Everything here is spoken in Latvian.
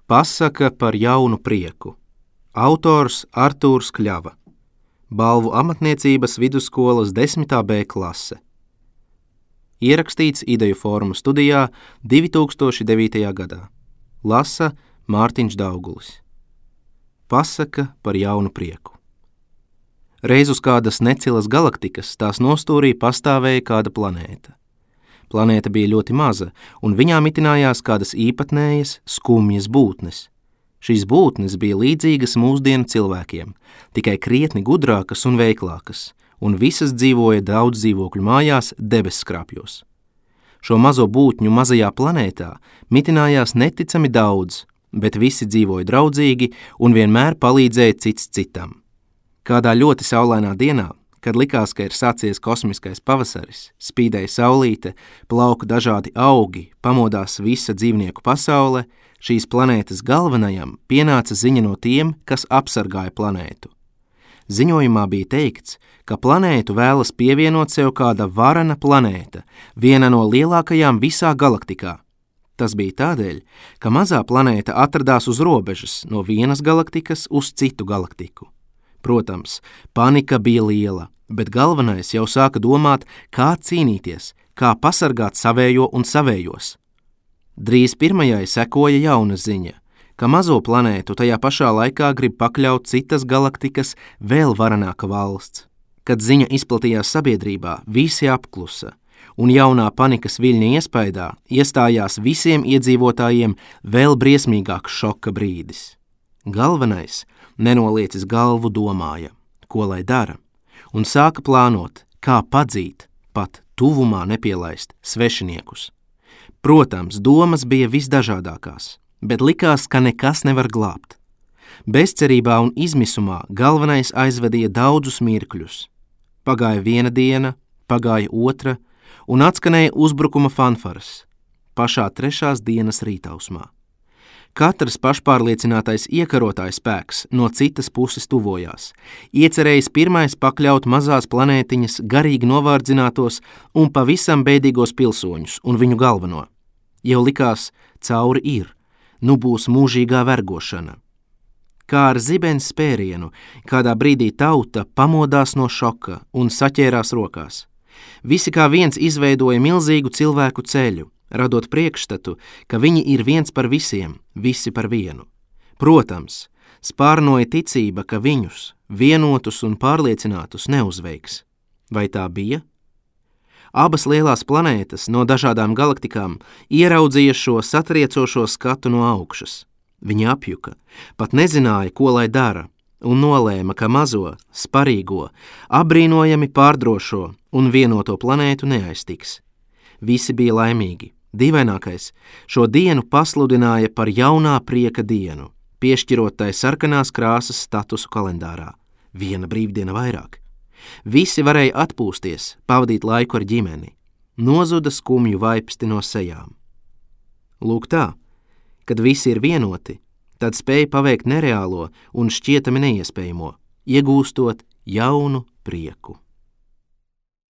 Pasaka par jaunu prieku. Autors Artūrs Kļava. Balvu amatniecības vidusskolas 10. B klase. Ierakstīts Ideju formu studijā 2009. gadā. Lasa Mārtiņš Daugulis. Pasaka par jaunu prieku. Reiz uz kādas necilas galaktikas tās nostūrī pastāvēja kāda planēta. Planēta bija ļoti maza, un viņā mitinājās kādas īpatnējas, skumjas būtnes. Šīs būtnes bija līdzīgas mūsdienu cilvēkiem, tikai krietni gudrākas un veiklākas, un visas dzīvoja daudz dzīvokļu mājās debesskrāpjos. Šo mazo būtņu mazajā planētā mitinājās neticami daudz, bet visi dzīvoja draudzīgi un vienmēr palīdzēja cits citam. Kādā ļoti saulainā dienā, kad likās, ka ir sācies kosmiskais pavasaris, spīdēja saulīte, plauka dažādi augi, pamodās visa dzīvnieku pasaule, šīs planētas galvenajam pienāca ziņa no tiem, kas apsargāja planētu. Ziņojumā bija teikts, ka planētu vēlas pievienot sev kāda varena planēta, viena no lielākajām visā galaktikā. Tas bija tādēļ, ka mazā planēta atradās uz robežas no vienas galaktikas uz citu galaktiku. Protams, panika bija liela, bet galvenais jau sāka domāt, kā cīnīties, kā pasargāt savējo un savējos. Drīz pirmajai sekoja jauna ziņa, ka mazo planētu tajā pašā laikā grib pakļaut citas galaktikas vēl varenāka valsts. Kad ziņa izplatījās sabiedrībā, visi apklusa, un jaunā panikas viļņa iespaidā iestājās visiem iedzīvotājiem vēl briesmīgāks šoka brīdis. Galvenais nenoliecis galvu domāja, ko lai dara, un sāka plānot, kā padzīt, pat tuvumā nepielaist svešiniekus. Protams, domas bija visdažādākās, bet likās, ka nekas nevar glābt. Bezcerībā un izmisumā galvenais aizvedīja daudzus mirkļus. Pagāja viena diena, pagāja otra, un atskanēja uzbrukuma fanfaras, pašā 3. dienas rītausmā. Katrs pašpārliecinātais iekarotājs spēks no citas puses tuvojās, iecerējis pirmais pakļaut mazās planētiņas garīgi novārdzinātos un pavisam bēdīgos pilsoņus un viņu galveno. Jau likās, cauri ir, nu būs mūžīgā vergošana. Kā ar zibens spērienu, kādā brīdī tauta pamodās no šoka un saķērās rokās. Visi kā viens izveidoja milzīgu cilvēku ceļu, radot priekšstatu, ka viņi ir viens par visiem, visi par vienu. Protams, spārnoja ticība, ka viņus, vienotus un pārliecinātus, neuzveiks. Vai tā bija? Abas lielās planētas no dažādām galaktikām ieraudzīja šo satriecošo skatu no augšas. Viņi apjuka, pat nezināja, ko lai dara, un nolēma, ka mazo, sparīgo, apbrīnojami pārdrošo un vienoto planētu neaiztiks. Visi bija laimīgi. Dīvainākais, šo dienu pasludināja par jaunā prieka dienu, piešķirot tai sarkanās krāsas statusu kalendārā. Viena brīvdiena vairāk. Visi varēja atpūsties, pavadīt laiku ar ģimeni. Nozuda skumju vaipsti no sejām. Lūk tā, kad visi ir vienoti, tad spēj paveikt nereālo un šķietami neiespējamo, iegūstot jaunu prieku.